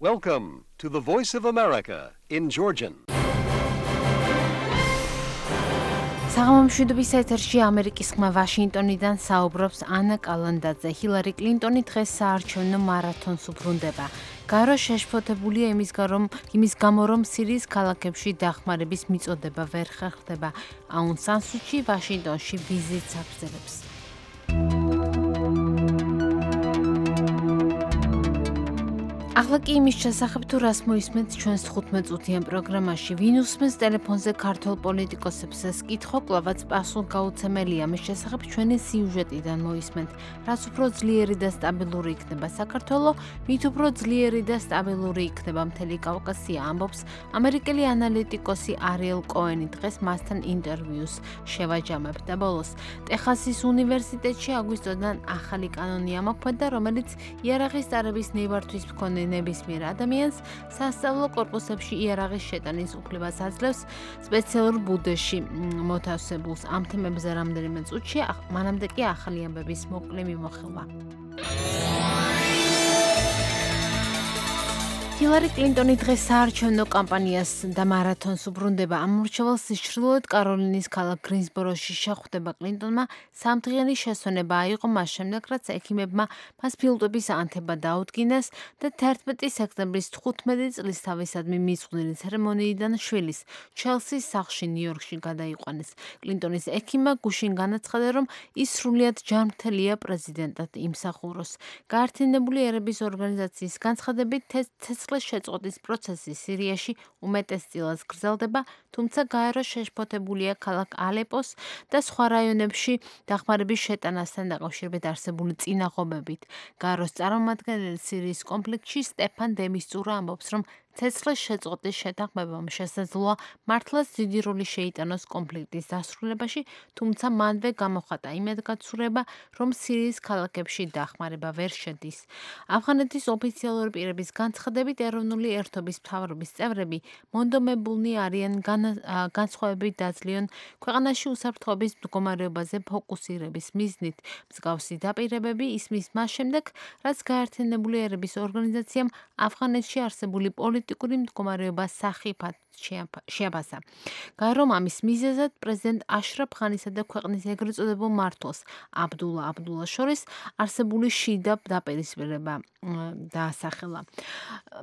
Welcome to the Voice of America in Georgian. საღამომშვიდობის ეთერში ამერიკის ხმა ვაშინგტონიდან საუბრობს ანა კალანდაძე. ჰილარი კლინტონი დღეს საარჩევნო მარათონს უბრუნდება. გარო შეშფოთებულია იმის გამო, რომ სირიის ქალაქებში დახმარების მიწოდება ვერ ხერხდება. აუნ სან სუჩი ვაშინგტონში ვიზიტს აგრძელებს. ახლა კი იმის შესახებ თუ რას მოისმენთ ჩვენს 15 წუთიან პროგრამაში. ვინ უსმენს ტელეფონზე ქართულ პოლიტიკოსებს ეს კითხვა კვლავაც პასუხგაუცემელია. მის შესახებ ჩვენი სიუჟეტიდან მოისმენთ. რაც უფრო ძლიერი და სტაბილური იქნება საქართველოს, მით უფრო ძლიერი და სტაბილური იქნება მთელი კავკასია, ამბობს ამერიკელი ანალიტიკოსი არიელ კოენი. დღეს მასთან ინტერვიუს შევაჯამებ და ბოლოს ტეხასის უნივერსიტეტში აგვისტოდან ახალი კანონი ამოქმედა, რომელიც იარაღის წარების ნებართვის მქონე ნებისმიერ ადამიანს სასწავლო კორპუსებში იარაღის შეტანის უფლებას აძლევს სპეციალურ ბუდეში მოთავსებულს. ამ თემებზე რამდენიმე წუთში, მანამდე კი ახალი ამბების მოკლე მიმოხილვა. ჰილარი კლინტონი დღეს საარჩევნო კამპანიას და მარათონს უბრუნდება. ამორჩევალს ჩრდილოეთ კაროლინის ქალაქ გრინსბოროში შეხვდება. კლინტონმა სამდღიანი შესვენება აიღო მას შემდეგ, რაც ექიმებმა მას ფილტვების ანთება დაუდგინეს და 11 სექტემბრის 15 წლისთავისადმი მიწვრთნელი ცერემონიიდან შვილის ჩელსის სახლში ნიუ-იორკში გადაიყვანეს. კლინტონის ექიმმა გუშინ განაცხადა, რომ ის სრულიად ჯანმრთელია პრეზიდენტად იმსახუროს. გაერთიანებული ერების ორგანიზაციის განცხადებით ცეცხლის შეწყვეტის პროცესი სირიაში უმეტესწილად გრძელდება, თუმცა გაერო შეშფოთებულია ქალაქ ალეპოს და სხვა რაიონებში დახმარების შეტანასთან დაკავშირებით არსებული წინაღობებით. გაეროს წარმომადგენელი სირიის კონფლიქტში სტეფან დე მისტურა ამბობს, რომ ცეცხლის შეწყვეტის შეთანხმებამ შესაძლოა მართლაც დიდი როლი შეიტანოს კონფლიქტის დასრულებაში, თუმცა მანვე გამოხატა იმედგაცრუება, რომ სირიის ქალაქებში დახმარება ვერ შედის. ავღანეთის ოფიციალური პირების განცხადებით, ეროვნული ერთობის მთავრობის წევრები მონდომებულნი არიან განსხვავებით დაძლიონ ქვეყანაში უსაფრთხოების მდგომარეობაზე ფოკუსირების მიზნით. მსგავსი დაპირებები ისმის მას შემდეგ, რაც გაერთიანებული ერების ორგანიზაციამ ავღანეთში არსებული პოლიტიკური მდგომარეობა სახიფად შეაფასა. გაერომ ამის მიზეზად პრეზიდენტ აშრაფ ღანისა და ქვეყნის ეგრეთ წოდებულ მმართველს აბდულა შორის არსებული შიდა დაპირისპირება დაასახელა.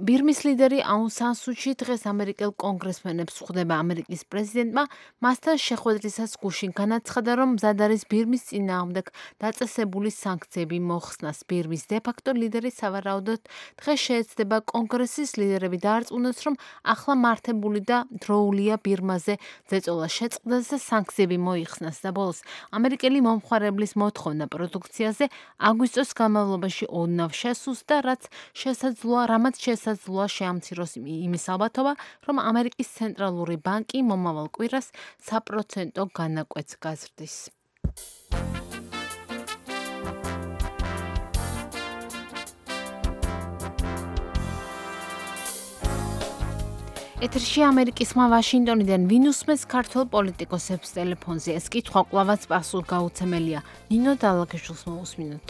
ბირმის ლიდერი აუნ სან სუჩი დღეს ამერიკელ კონგრესმენებს ხვდება. ამერიკის პრეზიდენტმა მასთან შეხვედრისას გუშინ განაცხადა, რომ მზად არის ბირმის წინააღმდეგ დაწესებული სანქციები მოხსნას. ბირმის დე-ფაქტო ლიდერი სავარაუდოდ დღეს შეეცდება კონგრესის ლიდერები დაარწმუნოს, რომ ახლა მართებული და დროულია ბირმაზე ზეწოლა შეწყდეს და სანქციები მოიხსნას და ბოლოს ამერიკელი მომხმარებლის მოთხოვნა პროდუქციაზე აგვისტოს განმავლობაში ოდნავ შესუსტდა, რამაც შესაძლოა შეამციროს იმის ალბათობა, რომ ამერიკის ცენტრალური ბანკი მომავალ კვირას საპროცენტო განაკვეთს გაზრდის. ეთერში ამერიკის ხმა ვაშინგტონიდან ვინ უსმენს ქართულ პოლიტიკოსებს ტელეფონზე. ეს კითხვა კვლავაც პასუხგაუცემელია. ნინო დალაგეშვილს მოусმინოთ.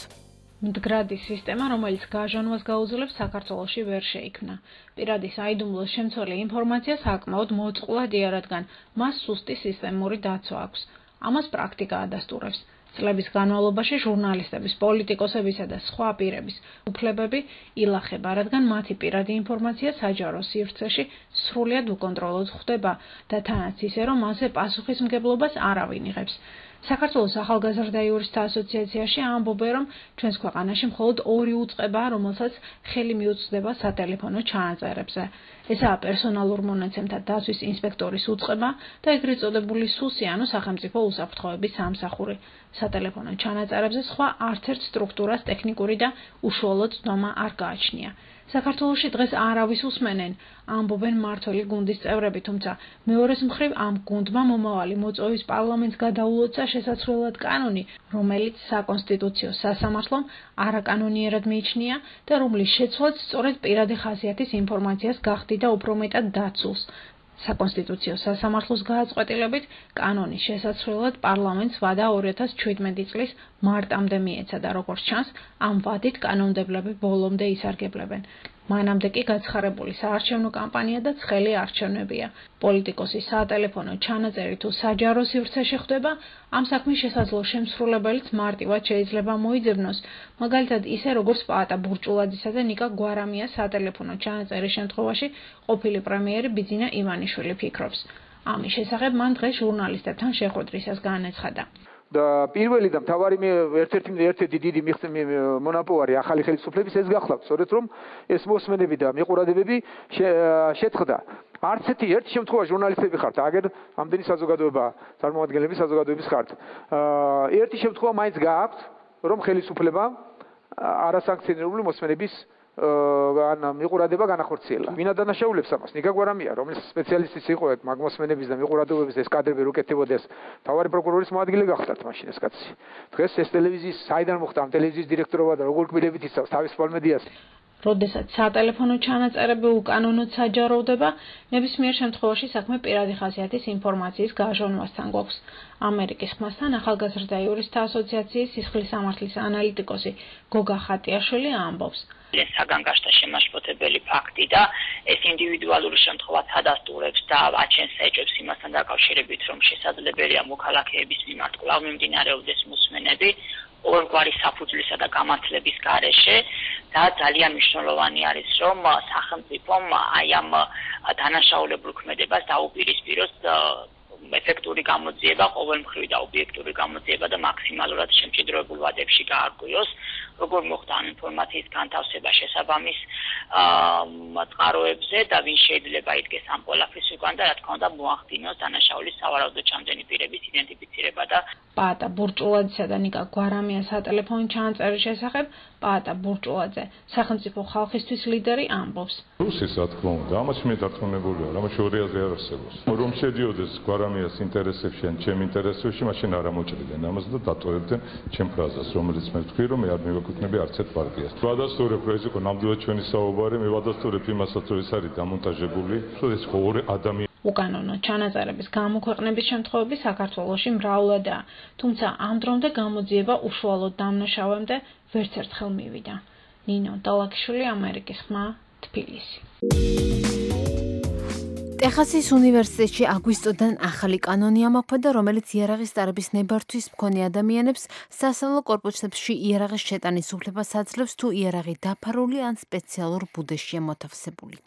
მდგრადი სისტემა, რომელიც გაჟანვას გაუძლებს, საქართველოში ვერ შეიქმნა. პირადი საიდუმლოს შემცველი ინფორმაცია საკმაოდ მოწყვლადია, რადგან მას სუსტი სისტემური დაცვა აქვს. ამას პრაქტიკა ადასტურებს. წლების განმავლობაში ჟურნალისტების, პოლიტიკოსებისა და სხვა პირების უფლებები ილახება, რადგან მათი პირადი ინფორმაცია საჯარო სივრცეში სრულად უკონტროლოდ ხდება და თანაც ისე, რომ მასზე პასუხისმგებლობას არავინ იღებს. საქართველოს ახალგაზრდა იურისტთა ასოციაციაში ამბობენ, რომ ჩვენს ქვეყანაში მხოლოდ 2 უწყებაა, რომელსაც ხელი მიუწვდება სატელეფონო ჩანაწერებზე. ესაა პერსონალურ მონაცემთა დაცვის ინსპექტორის უწყება და ეგრეთ წოდებული სუსი, ანუ სახელმწიფო უსაფრთხოების სამსახური. სატელეფონო ჩანაწერებზე სხვა არცერთ სტრუქტურას ტექნიკური და უშუალო ცნობა არ გააჩნია. საქართველოში დღეს არავის უსმენენ, ამბობენ მმართველი გუნდის წევრები, თუმცა მეორეს მხრივ ამ გუნდმა მომავალი მოწვევის პარლამენტს გადაულოცა შესაძლებლად კანონი, რომელიც საკონსტიტუციო სასამართლომ არაკანონიერად მიიჩნია და რომლის შეცვლაც სწორედ პირადი ხასიათის ინფორმაციას გახდიდა და უფრო მეტად დაცულს. საკონსტიტუციო სასამართლოს გააწყვეტილებით კანონის შესაძლებლად პარლამენტს ვადა 2017 წლის მარტამდე მიეცა და როგორც ჩანს, ამ ვადით კანონმდებლები ბოლომდე ისარგებლებენ. მანამდე კი გაცხარებული საარჩევნო კამპანია და ცხელი არჩევნებია. პოლიტიკოსის სატელეფონო ჩანაწერი თუ საჯარო სივრცეში ხდება, ამ საქმის შესაძლო შემსრულებელიც მარტივად შეიძლება მოიძებნოს, მაგალითად ისე როგორც პაატა ბურჭულაძისა და ნიკა გვარამიას სატელეფონო ჩანაწერის შემთხვევაში ყოფილი პრემიერი ბიძინა ივანიშვილი ფიქრობს. ამის შესახებ მან დღეს ჟურნალისტებთან შეხვედრისას განაცხადა. და პირველი და მთავარი ერთ-ერთი დიდი მონაპოვარი ახალი ხელისუფლების ეს გახლავთ, სწორედ რომ ეს მოსმენები და მიყურებები შეწყდა. არც ერთ შემთხვევაში ჟურნალისტები ხართ, აგერ ამდენი საზოგადოება, წარმომადგენლები საზოგადოების ხართ. ერთი შემთხვევა მაინც გააქვთ, რომ ხელისუფლებამ არასანქციონირებული მოსმენების მიყურება განახორციელა. ვინა დანაშაულებს ამას? ნიკა გვარამია, რომელიც სპეციალისტიც იყო მაგმოსმენების და მიყურებების ეს კადრები რო კეთდებოდეს, თავარი პროკურორის მოადგილე გახდათ მაშინ ეს კაცი. დღეს ეს ტელევიზიის საიდან მოხდა ამ ტელევიზიის დირექტორობა და როგორ კბილებით იცავს თავის პოლმედიას. როდესაც სატელეფონო ჩანაწერები უკანონოდ საჯაროვდება, ნებისმიერ შემთხვევაში საქმე პირადი ხასიათის ინფორმაციის გაჟონვასთან გვაქვს. ამერიკის ხმასთან ახალგაზრდა იურისტთა ასოციაციის სისხლის სამართლის ანალიტიკოსი გოგა ხატიაშვილი ამბობს. საგან გაშთა შემაშფოთებელი ფაქტი და ეს ინდივიდუალური შემთხვევა ადასტურებს და აჩენს ეჭვებს იმასთან დაკავშირებით, რომ შესაძლებელია მოქალაქეების მიმართ კვლავ მიმდინარეობდეს მოსმენები ორგვარი საფუძვლისა და გამართლების გარეშე და ძალიან მნიშვნელოვანი არის, რომ სახელმწიფომ აი ამ დანაშაულებულ ქმედებას დაუპირისპიროს ეფექტური გამოძიება, ყოველმხრივი და ობიექტური გამოძიება და მაქსიმალურად შემჭიდროებულ ვადებში გაარკვიოს, როგორ მოხდა ამ ინფორმაციის განთავსება შესაბამის წყაროებზე და ვინ შეიძლება იდგეს ამ ყველაფრის უკან და რა თქმა უნდა მოახდინოს დანაშაულის სავარაუდო ჩამდგენი პირების იდენტიფიცირება და პაატა ბურჭულაძისა და ნიკა გვარამიას სატელეფონო ჩანაწერის შესახებ პაატა ბურჭულაძე, სახელმწიფო ხალხისთვის ლიდერი ამბობს. რუსის რა თქმა უნდა, ამაში მე დარწმუნებულია, რამაც ორი არ არსებობს. რომ შედიოდეს გვარამიას ინტერესებში ან ჩემ ინტერესებში, მაშინ არ ამოჭრიდნენ ამას და დატოვებდნენ ჩემ ფრაზას, რომელიც მე ვთქვი, რომ მე არ მივეკუთვნები არც ერთ პარტიას. ვადასტურებ, რომ ეს იყო ნამდვილად ჩვენი საუბარი, მე ვადასტურებ იმასაც, რომ ეს არის დამონტაჟებული, რომ ეს ორი ადამიანი უკანონო ჩანაწერების გამოქვეყნების შემთხვევები საქართველოში მრავლადაა, თუმცა ამ დრომდე გამოძიება უშუალოდ დამნაშავემდე ვერც ერთხელ მივიდა. ნინო დალაკიშვილი, ამერიკის ხმა, თბილისი. ტეხასის უნივერსიტეტში აგვისტოდან ახალი კანონი ამოქმედა, რომელიც იარაღის ტარების ნებართვის მქონე ადამიანებს სასწავლო კორპუსებში იარაღის შეტანის უფლებას აძლევს, თუ იარაღი დაფარული ან სპეციალურ ბუდეშია მოთავსებული.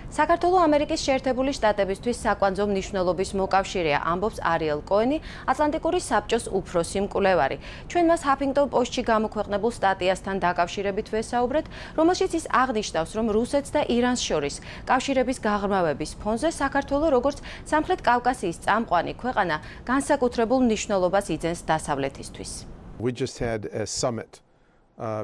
საქართველოს ამერიკის შეერთებული შტატებისთვის საკვანძო მნიშვნელობის მოკავშირეა, ამბობს არიელ კოენი, ატლანტიკური საბჭოს უფროსი მკვლევარი. ჩვენ მას ჰაფინგტონ პოსტში გამოქვეყნებულ სტატიასთან დაკავშირებით ვესაუბრეთ, რომელშიც ის აღნიშნავს, რომ რუსეთს და ირანს შორის კავშირების გაღრმავების ფონზე საქართველოს როგორც სამხრეთ კავკასიის წამყვანი ქვეყანა განსაკუთრებულ მნიშვნელობას იძენს დასავლეთისთვის. We just had a summit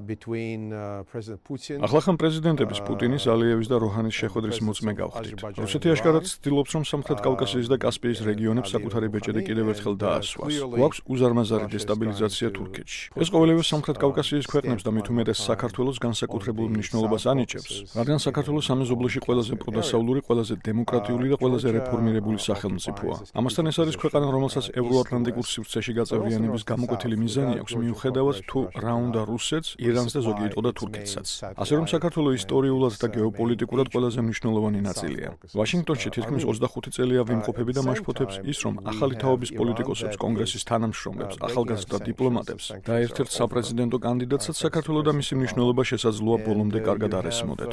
between President Putin ახალ პრეზიდენტების პუტინის, ალიევის და როჰანის შეხვედრის მოწმე გავხდით. რუსეთი აშკარად ცდილობს, რომ სამხრეთ კავკასიის და კასპიის რეგიონებს საკუთარი ბეჭედი კიდევ ერთხელ დაასვას. გვაქვს უზარმაზარი დესტაბილიზაცია თურქეთში. ეს ყოველივე სამხრეთ კავკასიის ქვეყნებს და მით უმეტეს საქართველოს განსაკუთრებულ მნიშვნელობას ანიჭებს, რადგან საქართველოს სამეზობლოში ყველაზე პროდასავლური, ყველაზე დემოკრატიული და ყველაზე რეფორმირებული სახელმწიფოა. ამასთან ეს არის ქვეყანა, რომელსაც ევროატლანტიკურ სივრცეში გაწევრიანების გამოკვეთილი მიზანი აქვს, მიუხედავად თუ რა უნდა რუსეთს, ირანს და ზოგი იტყოდა თურქეთსაც. ასე რომ საქართველოს ისტორიულად და გეოპოლიტიკურად ყველაზე მნიშვნელოვანი ნაწილია. ვაშინგტონში თითქმის 25 წელია ვიმყოფები და მაშფოთებს ის, რომ ახალი თაობის პოლიტიკოსებს, კონგრესის თანამშრომლებს, ახალგაზრდა დიპლომატებს და ერთ-ერთ საპრეზიდენტო კანდიდატსაც საქართველოს და მისი მნიშვნელობა შესაძლოა ბოლომდე კარგად არ ესმოდეთ.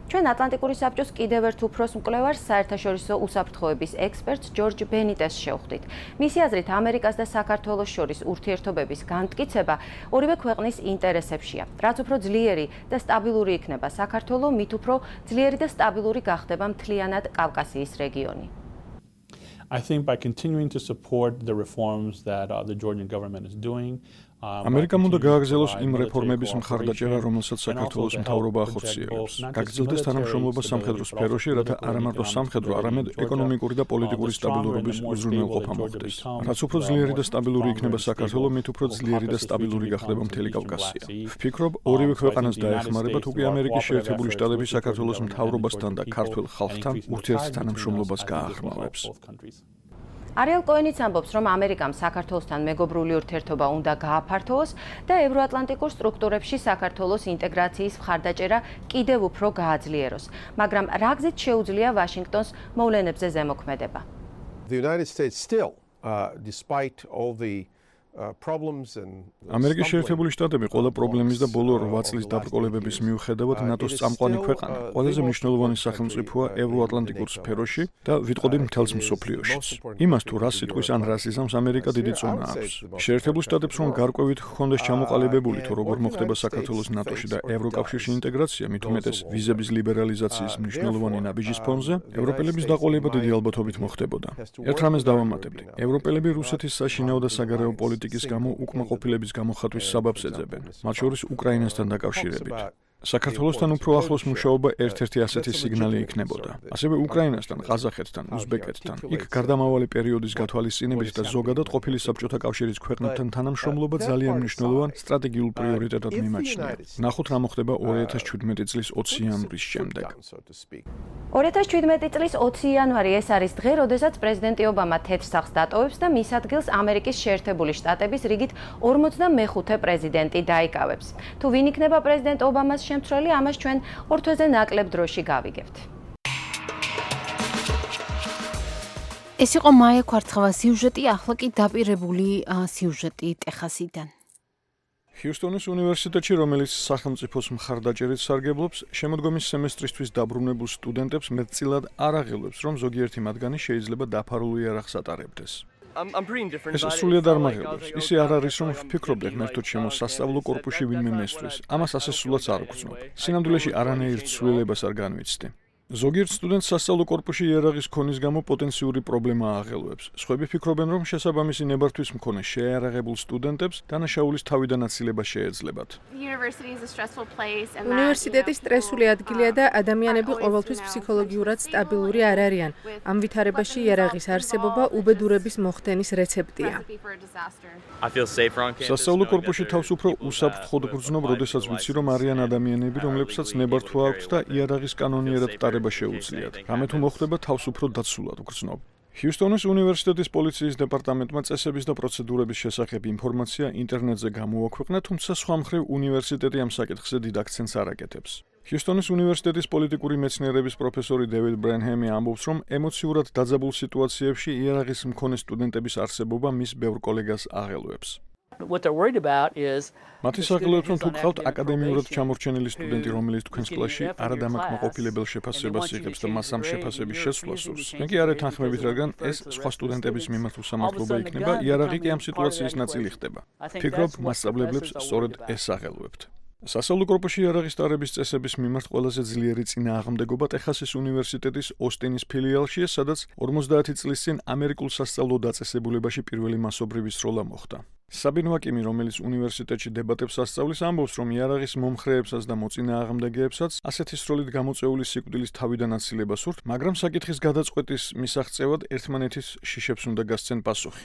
ჩვენ ატლანტიკური საბჭოს კიდევ ერთ უფროს მკვლევარს, საერთაშორისო უსაფრთხოების ექსპერტს ჯორჯ ბენიტესს შევხვდით. მისი აზრით, ამერიკას და საქართველოს შორის ურთიერთობების განმტკიცება ორივე ქვეყნის ინტერესებშია. რაც უფრო ძლიერი და სტაბილური იქნება საქართველო, მით უფრო ძლიერი და სტაბილური გახდება მთლიანად კავკასიის რეგიონი. I think by continuing to support the reforms that the Georgian government is doing, ამერიკამ უნდა გააგრძელოს იმ რეფორმების მხარდაჭერა, რომელსაც საქართველოს მთავრობა ახორციელებს. გაგრძელდეს თანამშრომლობა სამხედრო სფეროში, რათა არა მარტო სამხედრო, არამედ ეკონომიკური და პოლიტიკური სტაბილურობის უზრუნველყოფა მოხდეს. რაც უფრო ძლიერი და სტაბილური იქნება საქართველო, მით უფრო ძლიერი და სტაბილური გახდება მთელი კავკასია. ვფიქრობ, ორივე ქვეყანას დაეხმარება, თუ კი ამერიკის შეერთებული შტატები საქართველოს მთავრობასთან და ქართველ ხალხთან ურთიერთთანამშრომლობას გაახმოვებს. არიელ კოენიც ამბობს, რომ ამერიკამ საქართველოსთან მეგობრული ურთიერთობა უნდა გააფართოვოს და ევროატლანტიკურ სტრუქტურებში საქართველოს ინტეგრაციის მხარდაჭერა კიდევ უფრო გააძლიეროს. მაგრამ რა გზით შეუძლია ვაშინგტონს მოვლენებზე ზემოქმედება? The United States still, despite all the ამერიკის შეერთებული შტატები ყველა პრობლემის და ბოლო 8 წლის დაბრკოლებების მიუხედავად ნატოს წამყვანი ქვეყანა, ყველაზე მნიშვნელოვანი სახელმწიფოა ევროატლანტიკურ სფეროში და ვიტყოდი მთელს მსოფლიოშიც. იმას თუ რას სიტყვის ან რას იზამს ამერიკა დიდი წონა აქვს. შეერთებულ შტატებს რომ გარკვევით ჰქონდეს ჩამოყალიბებული თუ როგორ მოხდება საქართველოს ნატოში და ევროკავშირში ინტეგრაცია, მით უმეტეს ვიზების ლიბერალიზაციის მნიშვნელოვანი ნაბიჯის ფონზე, ევროპელების დაყოლება დიდი ალბათობით მოხდებოდა. ერთ რამეს დავამატებდი. ევროპელები რუსეთის საშინაო და საგარეო პოლიტიკის გამო უკმაყოფილების გამოხატვის საბაბს ეძებენ, მათ შორის უკრაინასთან დაკავშირებით. საქართველოსთან უფრო ახლოს მუშაობა ერთ-ერთი ასეთი სიგნალი იქნებოდა. ასევე უკრაინასთან, ყაზახეთთან, უზბეკეთთან. იქ გარდამავალი პერიოდის გათვალისწინებით და ზოგადად ყოფილი საბჭოთა კავშირის ქვეყნებთან თანამშრომლობა ძალიან მნიშვნელოვან სტრატეგიულ პრიორიტეტად მიმაჩნია. ნახოთ რა მოხდება 2017 წლის 20 იანვრის შემდეგ. 2017 წლის 20 იანვარი ეს არის დღე, როდესაც პრეზიდენტი ობამა თეთრ სახლს დატოვებს და მის ადგილს ამერიკის შეერთებული შტატების რიგით 45-ე პრეზიდენტი დაიკავებს. თუ ვინ იქნება პრეზიდენტ ობამას შემცვლელი, ამას ჩვენ ორ თვეზე ნაკლებ დროში გავიგებთ. ეს იყო მაია ქვარცხავა სიუჟეტი, ახლა კი დაპირებული სიუჟეტი ტეხასიდან. ჰიუსტონის უნივერსიტეტში, რომელიც სახელმწიფოს მხარდაჭერით სარგებლობს, შემოდგომის სემესტრისთვის დაბრუნებულ სტუდენტებს მეტწილად არ აღელვებს, რომ ზოგიერთი მათგანი შეიძლება დაფარულ იარაღს ატარებდეს. ეს სრულიად არ მაღელვებს. ისე არ არის, რომ ვფიქრობდე ღმერთო ჩემო სასწავლო კორპუსში ვინმე მესვრის. ამას ასე სულაც არ ვგრძნობ. სინამდვილეში არანაირ ცვლილებას არ განვიცდი. ზოგიერთ სტუდენტს სასწავლო კორპუსში იარაღის ქონის გამო პოტენციური პრობლემა აღელვებს. სხვები ფიქრობენ, რომ შესაბამისი ნებართვის მქონე შეიარაღებულ სტუდენტებს დანაშაულის თავიდან აცილება შეეძლებათ. უნივერსიტეტი სტრესული ადგილია და ადამიანები ყოველთვის ფსიქოლოგიურად სტაბილური არ არიან. ამ ვითარებაში იარაღის არსებობა უბედურების მოხდენის რეცეპტია. სასწავლო კორპუსში თავს უფრო უსაფრთხოდ გრძნობ, როდესაც ვიცი, რომ არიან ადამიანები, რომლებსაც ნებართვა აქვთ და იარაღის კანონიერად შეუძლიათ. რამე თუ მოხდება, თავს უფრო დაცულად გრძნობ. ჰიუსტონის უნივერსიტეტის პოლიციის დეპარტამენტმა წესების და პროცედურების შესახებ ინფორმაცია ინტერნეტზე გამოაქვეყნა, თუმცა სხვა მხრივ უნივერსიტეტი ამ საკითხზე დიდ აქცენტს არ აკეთებს. ჰიუსტონის უნივერსიტეტის პოლიტიკური მეცნიერების პროფესორი დევიდ ბრენჰემი ამბობს, რომ ემოციურად დაძაბულ სიტუაციებში იარაღის მქონე სტუდენტების არსებობა მის ბევრ კოლეგას აღელვებს. მათი საგლოებს რომ თუ გყავთ აკადემიურად ჩამორჩენილი სტუდენტი, რომელიც თქვენს კლასში არადამაკმაყოფილებელ შეფასებას იღებს და მას ამ შეფასების შესვლას სურს, მე კი არ ეთანხმებით, რადგან ეს სხვა სტუდენტების მიმართ უსამართლობა იქნება, იარაღი კი ამ სიტუაციის ნაწილი ხდება. ფიქრობ, მასწავლებლებს სწორედ ეს აღელვებთ. სასწავლო კორპუსში იარაღის ტარების წესების მიმართ ყველაზე ძლიერი წინააღმდეგობა ტეხასის უნივერსიტეტის ოსტინის ფილიალშია, სადაც 50 წლის წინ ამერიკულ სასწავლო დაწესებულებაში პირველი მასობრივი სროლა მოხდა. საბინ ვაკიმი, რომელიც უნივერსიტეტში დებატებს ასწავლის, ამბობს, რომ იარაღის მომხრეებსაც და მოწინააღმდეგეებსაც ასეთი სროლით გამოწეული სიკვდილის თავიდან აცილება სურთ, მაგრამ საკითხის გადაწყვეტის მისაღწევად ერთმანეთის შიშებს უნდა გასცენ პასუხი.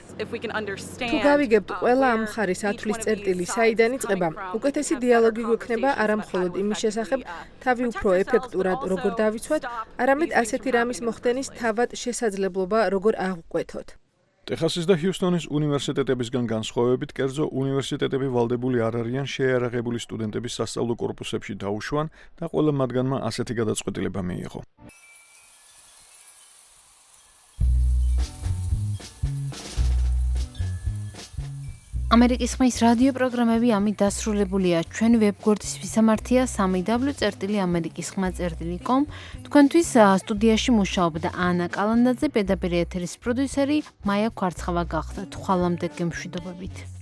თუ გავიგებთ ყველა ამ მხარის ათვლის წერტილი საიდან იწყება, უკეთესი დიალოგი გვექნება არა მხოლოდ იმის შესახებ, თავი უფრო ეფექტურად როგორ დავიცვათ, არამედ ასეთი რამის მოხდენის თავად შესაძლებლობა როგორ აღვკვეთოთ. ტეხასის და ჰიუსტონის უნივერსიტეტებისგან განსხვავებით, კერძო უნივერსიტეტები ვალდებული არ არიან შეიარაღებული სტუდენტების სასწავლო კორპუსებში დაუშვან და ყველა მათგანმა ასეთი გადაწყვეტილება მიიღო. ამერიკის ხმის რადიო პროგრამები ამით დასრულებულია. ჩვენი ვებგვერდის ვისამართია www.amerikiskhma.com. თქვენთვის სტუდიაში მუშაობდა ანა კალანდაძე, პირდაპირ ეთერის პროდიუსერი მაია ქვარცხავა გახდა. ხვალამდე გემშვიდობებით.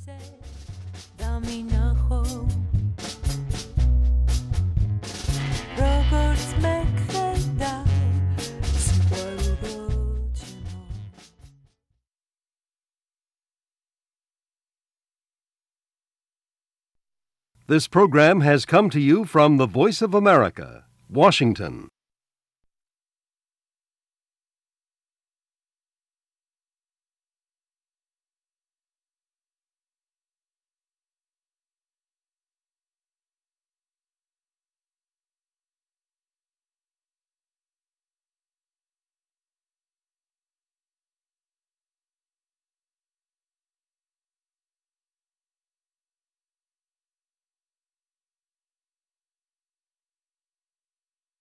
This program has come to you from the Voice of America, Washington.